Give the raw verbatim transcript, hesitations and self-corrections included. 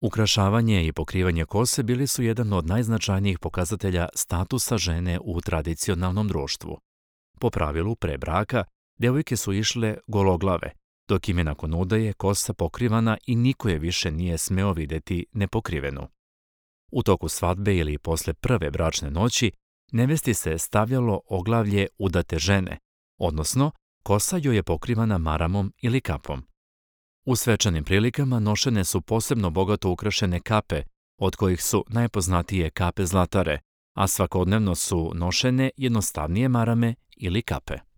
Ukrašavanje i pokrivanje kose bili su jedan od najznačajnijih pokazatelja statusa žene u tradicionalnom društvu. Po pravilu, pre braka, djevojke su išle gologlave, dok im je nakon udaje kosa pokrivana i niko je više nije smeo vidjeti nepokrivenu. U toku svadbe ili posle prve bračne noći, nevesti se stavljalo oglavlje udate žene, odnosno kosa joj je pokrivana maramom ili kapom. U svečanim prilikama nošene su posebno bogato ukrašene kape, od kojih su najpoznatije kape zlatare, a svakodnevno su nošene jednostavnije marame ili kape.